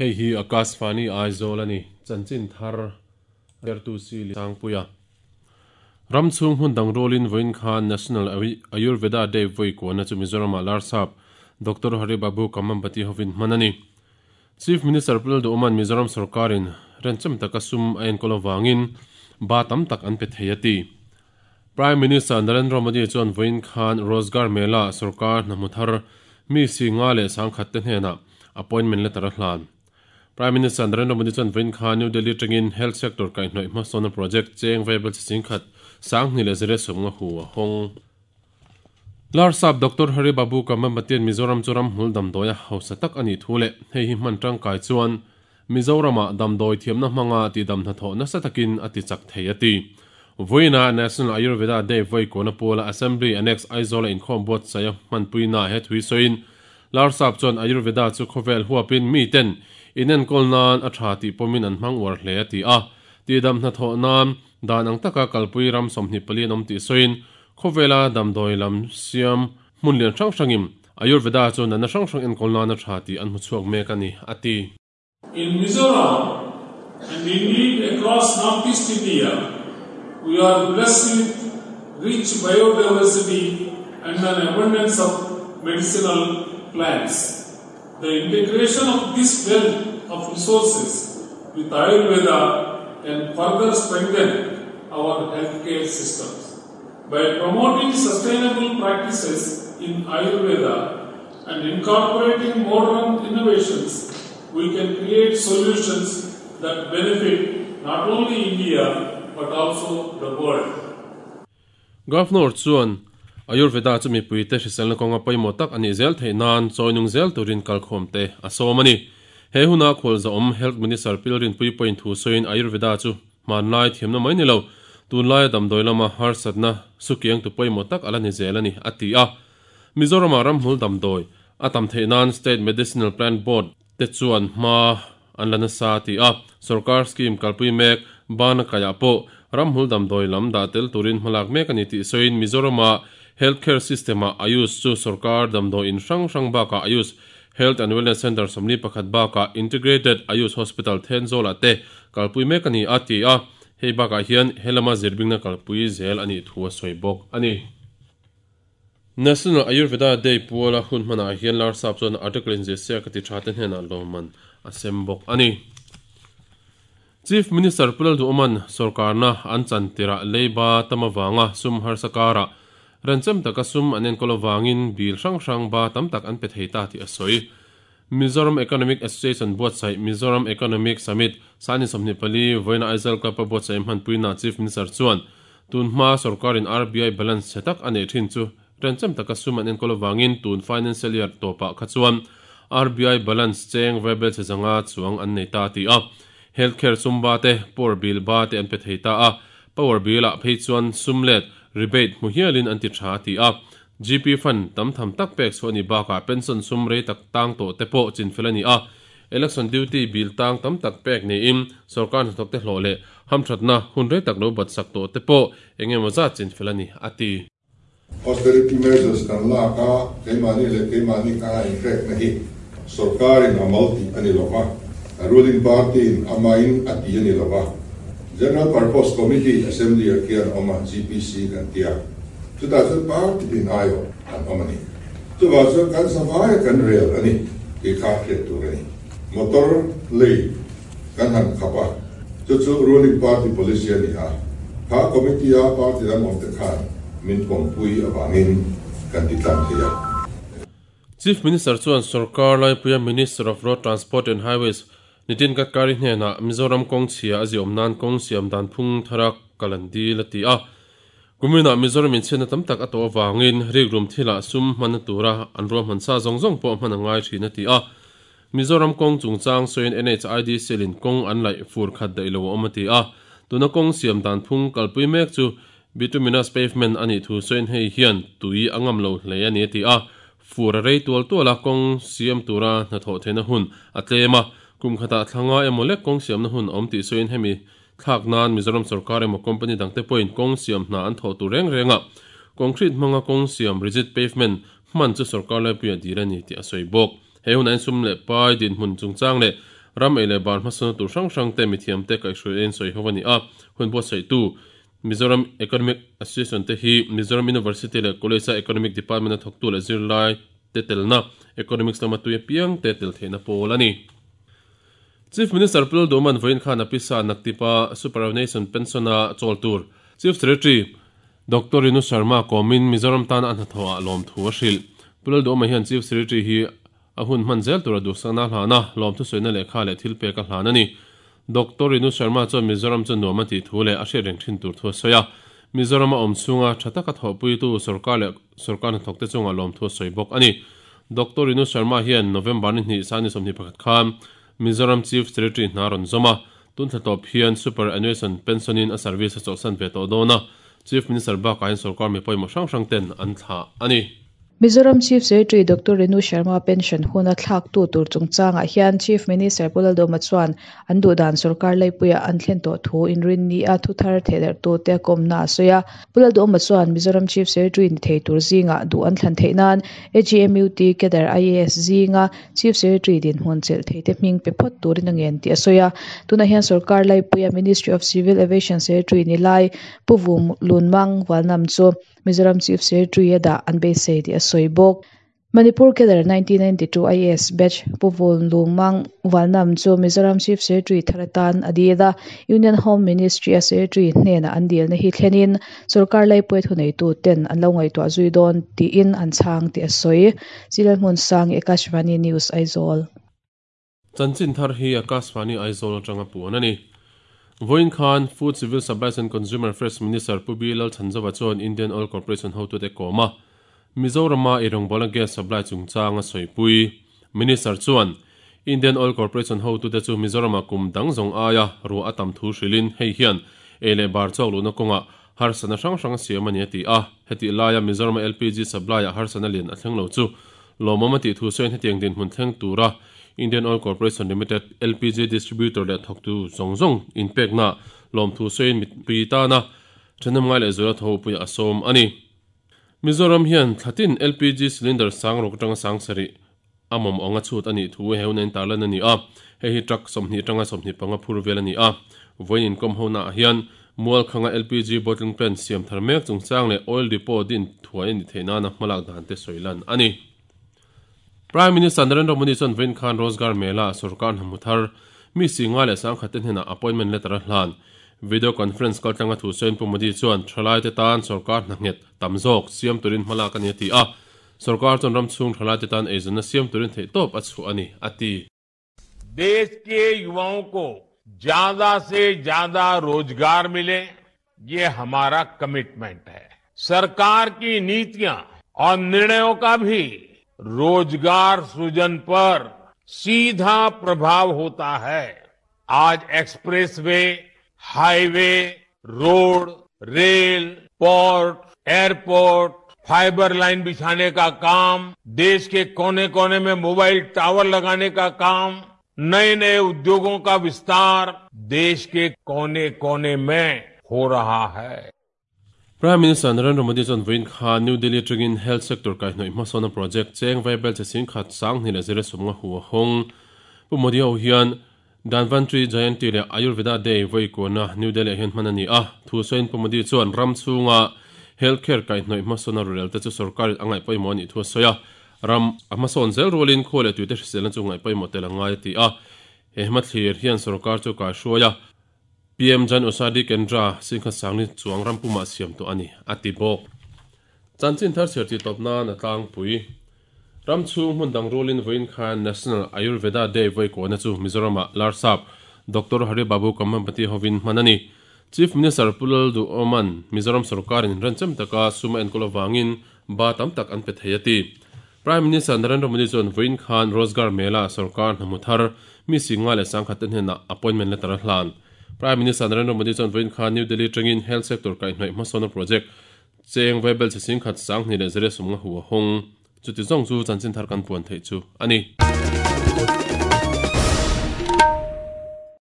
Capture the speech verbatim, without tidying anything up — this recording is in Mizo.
Hei hi Akashvani Aizawl ani chanchin thar ertu si sangpuia Ramchhung hun dang rolin voin khan National Ayurveda Day voi ko na chu Mizoram Larsap Doctor Hari Babu Kamambati hovin manani Chief Minister Pulal Oman Mizoram Sarkarin rencham taka sum ain kolowangin ba tam tak an pe theiati Prime Minister Narendra Modi chuan voin khan Rozgar Mela Sarkar namuthar mi singa le sangkhat te hnena appointment letter hlan Prime Minister Narendra Modi chuan voin khan New Delhi tangin health sector kai hnoi hmasona project cheng viable singkhat sang ni le zere somnga hu hong Larsap Doctor Hari Babu Kamambatian Mizoram churam hmul damdoya hausa tak ani thule hei hi hman tangkai chuan Mizorama damdoi thiamna hmanga ti dam hna tho nasa takin ati chak thei ati voina National Ayurveda Day voi kona pola Assembly Annex Aizawl in khom bot saya hmanpuina he thui soin Larsap chuan Ayurveda chu khovel huapin mi ten inen kolnan a tha ti pomin an hmang war hle ati a ti dam hna tho nan dan ang taka kalpui ram somni pali nom ti soin khovela damdoi lam siam hmunlian hrang hrangim Ayurveda chu nana hrang hrang en kolna na tha ti an hmu chhuak mek ani ati. In Mizoram and indeed across Northeast India, we are blessed with rich biodiversity and an abundance of medicinal plants. The integration of this wealth of resources with Ayurveda can further strengthen our healthcare systems. By promoting sustainable practices in Ayurveda and incorporating modern innovations, we can create solutions that benefit not only India but also the world. Governor chuan Ayurveda chu mipui te hriselna kawnga pawimawh tak ani zel thei nan chawinung zel turin kalkhawm te a sawm ani. He huna khawl zawm Health Minister Pilrin pui point thu sawiin Ayurveda chu hmanlai thiamna mai ni lo tunlai damdawi lama harsatna sukiang tu pawimawh tak ala ni zel ani ati a. Mizorama ramhmul damdawi atam thei nan State Medicinal Plant Board te chuan hma an la nasa ti a. Sarkar scheme kalpui mek bana kaya po ramhmul damdawi lam dah tel turin hmalak mek ani tih sawiin Mizorama healthcare system a Ayush chu sarkar damdawi in hrang hrang baka Ayush Health and Wellness Center somni pakhat baka Integrated Ayush Hospital Thenzawl te kalpui mek ani ati a. Hei baka hian helama zirbingna kalpui zel ani thu a sawi bawk ani. National Ayurveda Day puala hun hmana hian Larsap chuan article in zia ka ti tha te hnena lawman a sem bawk ani. Chief Minister Pulal Oman sarkarna an chantira leiba tamawanga sum harsakara rancham taka sum anen kolowangin bil hrang hrang ba tam tak an pe thei ta ti a sawi. Mizoram Economic Association buatsaih Mizoram Economic Summit sani somni pali voina Aizawl Club a buatsaih hmanpuina Chief Minister chuan tunhma sarkarin R B I balance chetak ane thin chu rancham taka sum an enkolowangin tun financial year topa kha chuan R B I balance cheng rebel che zanga chuang an nei ta ti a. Healthcare sum ba te power bill ba te an pe thei ta a. Power bill a phei chuan sumlet rebate mu hialin an ti tha ti a. G P fund tam tham tak pek chu ani baka pension sum rei tak tang to te pawh chin fel ani a. Election duty bill tang tam tak pek ni in sarkar hnathawk te hlawh leh hamthatna hun rei tak lo bat sak to te pawh engemaw zat chin fel ani ati. Austerity measures kan lak a keimahni leh keimahni ka in na hi sarkarin a malti ani lova a ruling party in amain ati ani lova General Purpose Committee Assembly a khian awma G P C kan tia chuta chu party tin ayo an awmani chuwa chu kan savai kan rel ani ti kha hriat tur ani motor lei kan han khapa chu chu ruling party policy ani a kha committee a party lam awm te khan min pawmpui awangin kan ti tlang thei a. Chief Minister chuan sarkar laipuia Minister of Road Transport and Highways Nitin Gadkari hnena Mizoram kawng chhia a ziawm nan kawng siam dan phung tharak kalandi la ti a. Kumina Mizoram in chhiatna tam tak a tawh awangin rikrum thila sum hman tura an ruah hman sa zawng zawng pawh hman a ngai thin a ti a. Mizoram kawng chungchang sawiin N H I D selin kawng an laih fur khat daih lo a awm a ti a. Tuna kawng siam dan phung kalpui mek chu bituminous pavement ani thu sawiin hei hian tui a ngam lo hle ani a ti a. Fur a rei tual tual a kawng siam tura hnathawh theihna hun a tlem a. Kum khata thlanga emaw lek kawng siamna hun awm tih sawiin hemi thlak nan Mizoram sarkar emaw company dangte pawhin kawng siam hna an thawh tur reng reng a. Concrete hmanga kawng siam rigid pavement hman chu sarkar laipuia dir ani tih a sawi bawk. He hun an sum leh pai din hmun chungchang leh Ram ei leh bar hmasawna tur hrang hrang te mithiam te kaihhruai en sawi ho ani a hun buat sawi tu Mizoram Economic Association te hi Mizoram University leh College Economic Department a thawktu leh zirlai te telna Economics lama tui piang te tel theihna pawl ani. Chief Minister Pul Doman voin khan apisa naktipa superannuation pensiona chol tur Chief Secretary Doctor Rinu Sharma komin Mizoram tan an hathoa lom thu a hril. Pul Doma hian Chief Secretary hi a hun hman zel tur a duhsakna hlana lom thu soina lehkha leh thil pek a hlan ani. Doctor Rinu Sharma chuan Mizoram chu nuam a tih thu leh a hriat reng thin tur thu a sawi a. Mizoram a awm chhunga tha taka thawhpui tu sarkar leh sarkar hnathawk te chunga lom thu a sawi bawk ani. Doctor Rinu Sharma hian November ni hnih sani sawmhnih pakhat khan Mizoram Chief Secretary hna rawn zawm a tun thla tawp hian superannuation pensionin a service a chawhsan ve tawh dawn a. Chief Minister bakah hian sarkar mi pawimawh hrang hrang ten an thlah ani. Mizoram Chief Secretary Doctor Rinu Sharma pension huna thlak tu tur chungchanga hian Chief Minister Pulal Doma chuan an duhdan sarkar laipuia an thlen tawh thu inrin ni a thuthar thehder tu te kawmna a sawi a. Pulal Doma chuan Mizoram Chief Secretary ni thei tur zinga duh an thlan theih nan A G M U T cadre I A S zinga Chief Secretary din hmun chelh thei te hming pe phawt turin a ngen tih a sawi a. Tuna hian sarkar laipuia Ministry of Civil Aviation Secretary ni lai Puvum Lunmang Valnam chu Mizoram Chief Secretary ada an beisei tih a sawi bawk. Manipur cadre nineteen ninety-two I A S batch Puvul Lumang Valnam chu Mizoram Chief Secretary tharatan adila Union Home Ministry a Secretary hnena an dilna hi thlenin sarkar laipui thunei tu ten an lo ngaihtuah zui dawn tiin an chhang tih a sawi. Silal hmun sang Akashvani News Aizawl. Chanchin thar hi Akashvani Aizawl atanga puan ani. Voin Khan Food Civil Supplies and Consumer Affairs Minister Pubi Lal Thanzova chuan Indian Oil Corporation hotu te kawma Mizorama irongbola gas supply chungchanga sawi Minister chuan Indian Oil Corporation hotu te chu Mizorama kum dang zong aia ru atam thu hrilin hei hian ele bar chawk luna kawnga harsana hrang hrang siam ani ati a heti laia Mizorama L P G supply a harsana lian a thleng lo chu lawmawm ti thu sawiin hetiang din hmun thleng tura Indian Oil Corporation Limited L P G distributor le thawktu zong zong in pekna lawm thu sawiin mitpui tana thenam ngai leh zura tho pui a sawm ani. Mizoram hian thlatin L P G cylinder sang ruk atanga sang sari amawm anga chhut ani thu heu nen tarlan ani a hei hi truck sawmhnih atanga sawmhnih panga phur vel ani a voin inkom ho na hian mual khanga L P G bottling plant siam thar mek chungchang leh oil depot din thuai ani theihna na hmalak dan te sawilan ani. Prime Minister Narendra Modi chuan vawiin khan Rozgar Mela sarkar hnamuthar mi singa leh sangkhat te hnena appointment letter a hlan. Video conference kaltlanga thu sawiin Pu Modi chuan thalai te tan sarkar hnanghet tam zawk siam turin hmalak ani ati a sarkar chuan ram chhung thalai te tan eizawnna siam turin theih tawp a chhuah ani ati. देश के युवाओं को ज्यादा से ज्यादा रोजगार मिले ये हमारा कमिटमेंट है। सरकार की नीतियां और निर्णयों का भी रोजगार सृजन पर सीधा प्रभाव होता है। आज expressway, highway, road, rail, port, airport, fibre line बिछाने का काम, देश के कोने कोने में मोबाइल टावर लगाने का काम, नए नए उद्योगों का विस्तार देश के कोने कोने में हो रहा है। Prime Minister Narendra Modi chuan vawiin khan New Delhi atangin health sector kaihhnawih hmasawna project cheng vaibel che sing khat sang hnih leh zira sawmnga hu a hawng. Pu Modi ho hian Dhanvantari Jayanti leh Ayurveda Day vawi kuana New Delhi hian hman ani a thu sawiin Pu Modi chuan ram chhunga healthcare kaihhnawih hmasawna rurel te chu sarkarin a ngaih pawimawh ani thu a sawi a ram a hmasawn zel rualin khaw leh tuite hriselna chu ngaih pawimawh tel a ngai a ti a he hmathlir hian sarkar chu kaihhruai a P M Jan Aushadhi Kendra singkhat sangni chuang rampuma siam tu ani ati bawk. Chanchin thar chher ti tawpna na tlangpui ram chhung hmun dang rualin vawiin khan National Ayurveda Day vawi kuana chu Mizorama Larsap Doctor Hari Babu Kambhampati hovin hman ani. Chief Minister Pulal Du Oman Mizoram sarkarin ranchem taka suma enkawl awangin ba tam tak an pe thei ati. Prime Minister Narendra Modi chuan vawiin khan Rozgar Mela sarkar hnamuthar mi singa leh sangkhat te hnena appointment letter a hlan. Prime Minister Narendra Modi chuan vawiin khan New Delhi atangin health sector kaihhnawih hmasawna project cheng vaibel che sing khat sang hnih leh zira sawmnga hu a hawng. Chuti zawng chu chanchin thar kan puan theih chu ani.